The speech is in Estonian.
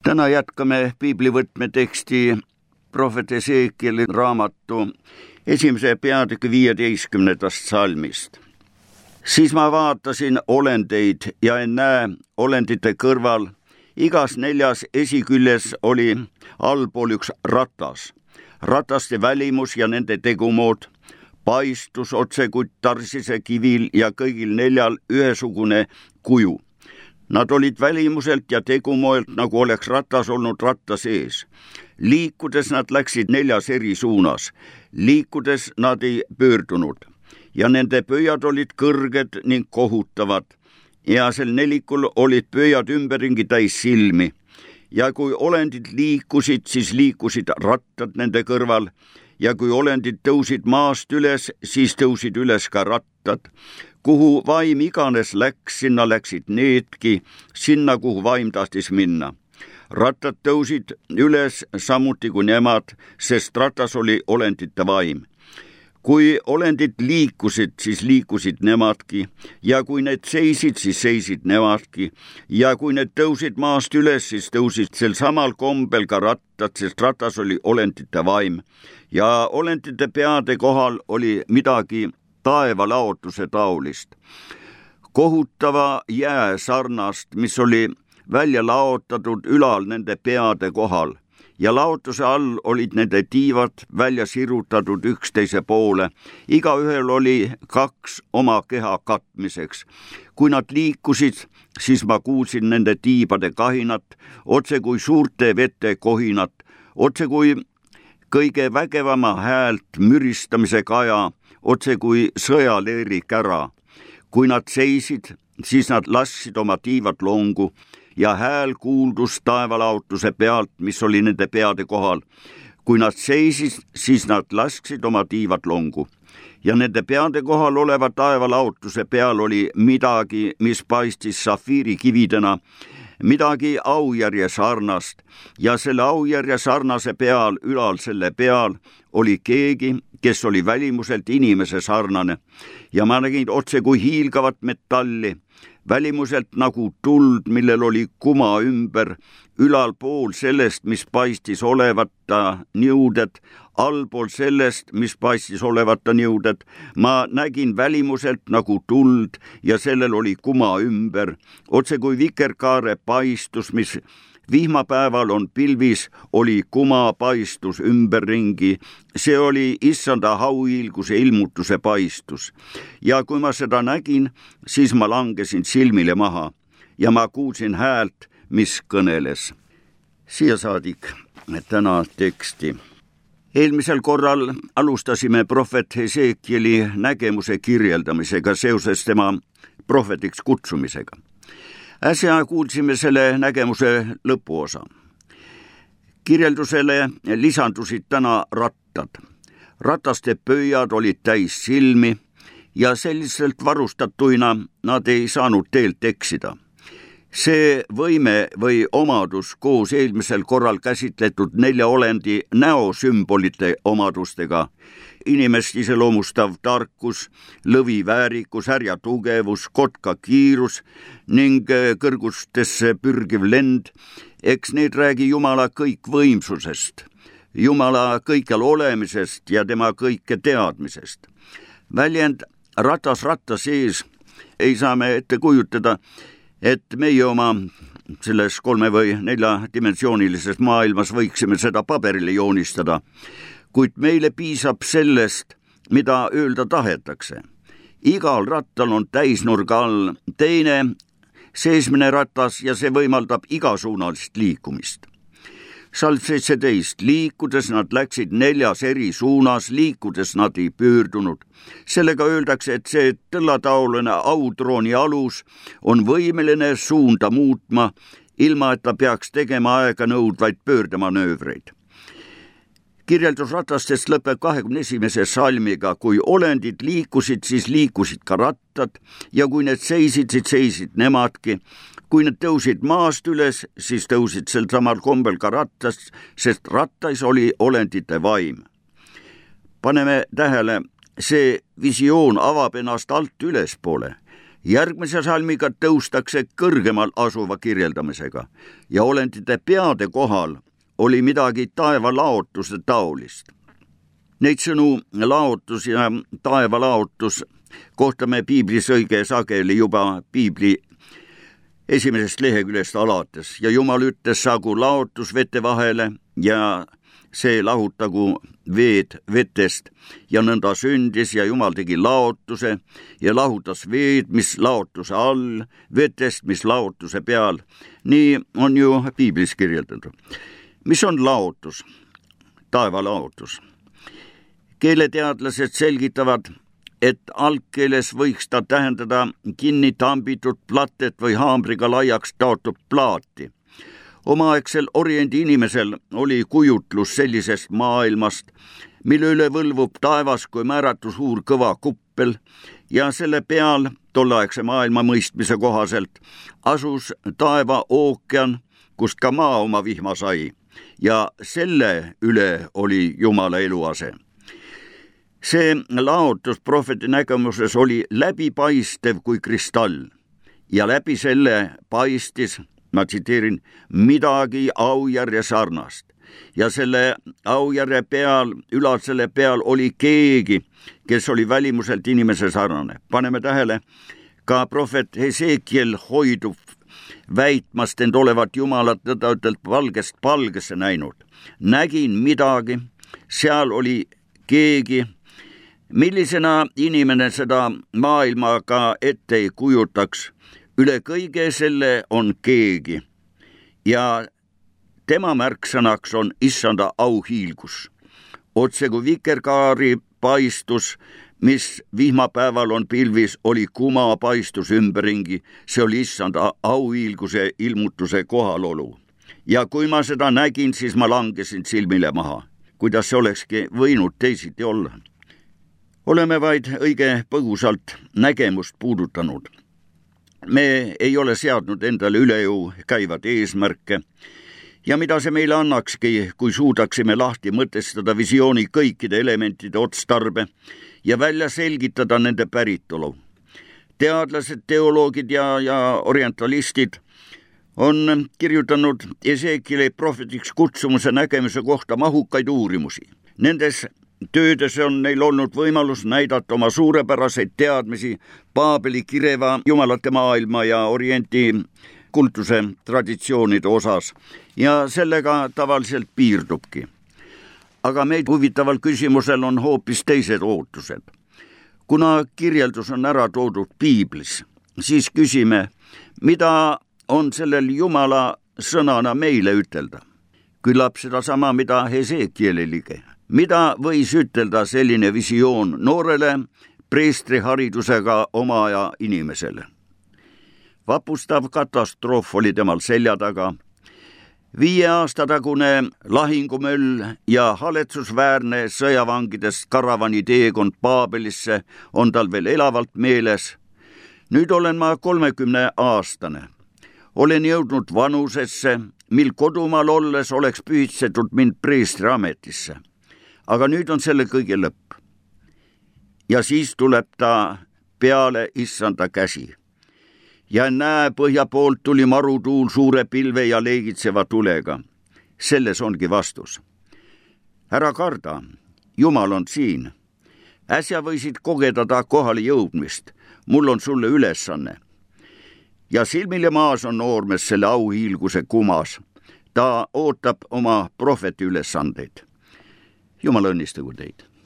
Täna jätkame piiblivõtme teksti prohvet Hesekieli raamatu 1. peatüki 15. salmist. Siis ma vaatasin olendeid ja en näe olendite kõrval. Igas 4 esiküljes oli allpool üks ratas. Rataste välimus ja nende tegumood paistus otsekui tarsise kivil ja kõigil 4 ühesugune kuju. Nad olid välimuselt ja tegumoelt, nagu oleks ratas olnud ratta sees. Liikudes nad läksid 4 eri suunas. Liikudes nad ei pöördunud. Ja nende pöiad olid kõrged ning kohutavad. Ja sel nelikul olid pöiad ümberringi täis silmi. Ja kui olendid liikusid, siis liikusid rattad nende kõrval. Ja kui olendid tõusid maast üles, siis tõusid üles ka rattad. Kuhu vaim iganes läks, sinna läksid needki, sinna kuhu vaim tahtis minna. Rattad tõusid üles samuti kui nemad, sest ratas oli olendite vaim. Kui olendid liikusid, siis liikusid nemadki, ja kui need seisid, siis seisid nemadki, ja kui need tõusid maast üles, siis tõusid sel samal kombel ka rattad, sest ratas oli olendite vaim. Ja olendite peade kohal oli midagi taevalaotuse taolist. Kohutava jää sarnast, mis oli välja laotatud ülal nende peade kohal. Ja laotuse all olid nende tiivad välja sirutatud üksteise poole. Igaühel oli 2 oma keha katmiseks. Kui nad liikusid, siis ma kuulsin nende tiibade kahinat, otse kui suurte vete kohinat, otse kui kõige vägevama häält müristamise kaja, otse kui sõjaleeri kära. Kui nad seisid, siis nad lasksid oma tiivad longu ja hääl kuuldus taevalaotuse pealt, mis oli nende peade kohal. Kui nad seisid, siis nad lasksid oma tiivad longu. Ja nende peade kohal oleva taevalaotuse peal oli midagi, mis paistis safiirikividena, midagi aujärje sarnast, ja selle aujärje sarnase peal, ülal selle peal, oli keegi, kes oli välimuselt inimese sarnane. Ja ma nägin otse kui hiilgavat metalli, välimuselt nagu tuld, millel oli kuma ümber, ülalpool sellest, mis paistis olevata niuded, allpool sellest, mis paistis olevata niuded. Ma nägin välimuselt nagu tuld ja sellel oli kuma ümber, otse kui vikerkaare paistus, mis vihmapäeval on pilvis, oli kuma paistus ümberringi. See oli issanda hauhiilguse ilmutuse paistus. Ja kui ma seda nägin, siis ma langesin silmile maha ja ma kuulsin häält, mis kõneles. Siia saadik täna teksti. Eelmisel korral alustasime prohvet Hesekieli nägemuse kirjeldamisega seoses tema prohvetiks kutsumisega. Äsja kuulsime selle nägemuse lõpuosa. Kirjeldusele lisandusid täna rattad. Rataste pöiad olid täis silmi ja selliselt varustatuina nad ei saanud teelt eksida. See võime või omadus koos eelmisel korral käsitletud 4 olendi näosümbolite omadustega, inimest iseloomustav tarkus, lõvi väärikus, härja tugevus, kotka kiirus ning kõrgustesse pürgiv lend, eks need räägi Jumala kõikvõimsusest, Jumala kõikjal olemisest ja tema kõike teadmisest. Väljend ratas ratta sees ei saa me ette kujutada, et meie oma selles 3 või 4 dimensioonilises maailmas võiksime seda paberile joonistada, kuid meile piisab sellest, mida öelda tahetakse. Igal rattal on täisnurga all teine seesmine ratas ja see võimaldab igasuunalist liikumist. Salm 17. Liikudes nad läksid 4 eri suunas, liikudes nad ei pöördunud. Sellega öeldakse, et see tõllataoline autrooni alus on võimeline suunda muutma, ilma et ta peaks tegema aega nõudvaid pöördemanöövreid. Kirjeldus ratastest lõpeb 21. salmiga. Kui olendid liikusid, siis liikusid ka rattad ja kui need seisid, siis seisid nemadki. Kui need tõusid maast üles, siis tõusid sel samal kombel ka rattast, sest rattais oli olendite vaim. Paneme tähele, see visioon avab ennast alt ülespoole. Järgmise salmiga tõustakse kõrgemal asuva kirjeldamisega ja olendite peade kohal oli midagi taevalaotuse taolist. Neid sõnu laotus ja taevalaotus kohtame piiblis õige sageli juba piibli esimesest leheküljest alates ja Jumal ütles, saagu laotus vete vahele ja see lahutagu veed vetest ja nõnda sündis ja Jumal tegi laotuse ja lahutas veed, mis laotuse all, vetest, mis laotuse peal. Nii on ju piiblis kirjeldatud. Mis on laotus? Taevalaotus. Keeleteadlased selgitavad, et algkeeles võiks ta tähendada kinni tambitud platet või haamriga laiaks taotud plaati. Omaaegsel oriendi inimesel oli kujutlus sellisest maailmast, mille üle võlvub taevas kui määratu suur kõva kuppel ja selle peal tolleaegse maailma mõistmise kohaselt asus taeva ookean, kust ka maa oma vihma sai ja selle üle oli Jumala eluase. See laotus prohveti nägemuses oli läbipaistev kui kristall ja läbi selle paistis, ma tsiteerin, midagi aujärje sarnast ja selle aujärje peal, ülal selle peal oli keegi, kes oli välimuselt inimese sarnane. Paneme tähele, ka prohvet Hesekiel hoidub väitmast end olevat Jumalat nõnda-ütelda valgest palgesse näinud. Nägin midagi, seal oli keegi, millisena inimene seda maailma ka ette ei kujutaks. Üle kõige selle on keegi ja tema märksõnaks on issanda auhiilgus. Otse kui vikerkaari paistus, mis vihmapäeval on pilvis, oli kuma paistus ümberringi, see oli issanda auhiilguse ilmutuse kohalolu. Ja kui ma seda nägin, siis ma langesin silmile maha. Kuidas see olekski võinud teisiti olla? Oleme vaid õige põgusalt nägemust puudutanud. Me ei ole seadnud endale üle jõu käivad eesmärke ja mida see meile annakski, kui suudaksime lahti mõtestada visiooni kõikide elementide otstarbe ja välja selgitada nende päritolu. Teadlased, teoloogid ja orientalistid on kirjutanud Esekieli prohvetiks kutsumuse nägemise kohta mahukaid uurimusi. Nendes töödes on neil olnud võimalus näidata oma suurepäraseid teadmisi Paabeli kireva jumalate maailma ja orienti kultuse traditsioonide osas ja sellega tavaliselt piirdubki. Aga meid huvitaval küsimusel on hoopis teised ootused. Kuna kirjeldus on ära toodud piiblis, siis küsime, mida on sellel Jumala sõnana meile ütelda. Küllap seda sama, mida Hesekieliligi. Mida võis ütelda selline visioon noorele preestriharidusega oma aja inimesele? Vapustav katastroof oli temal selja taga. 5 aasta tagune lahingumöll ja haletsusväärne sõjavangidest karavani teekond Paabelisse on tal veel elavalt meeles. Nüüd olen ma 30-aastane. Olen jõudnud vanusesse, mil kodumaal olles oleks pühitsetud mind preestri ametisse. Aga nüüd on selle kõige lõpp. Ja siis tuleb ta peale issanda käsi. Ja näe, põhja poolt tuli marutuul suure pilve ja leegitseva tulega. Selles ongi vastus. Ära karda, Jumal on siin. Äsja võisid kogeda ta kohale jõudmist. Mul on sulle ülesanne. Ja silmile maas on noormes selle auhiilguse kumas. Ta ootab oma prohveti ülesandeid. Jumal õnnistagu teid.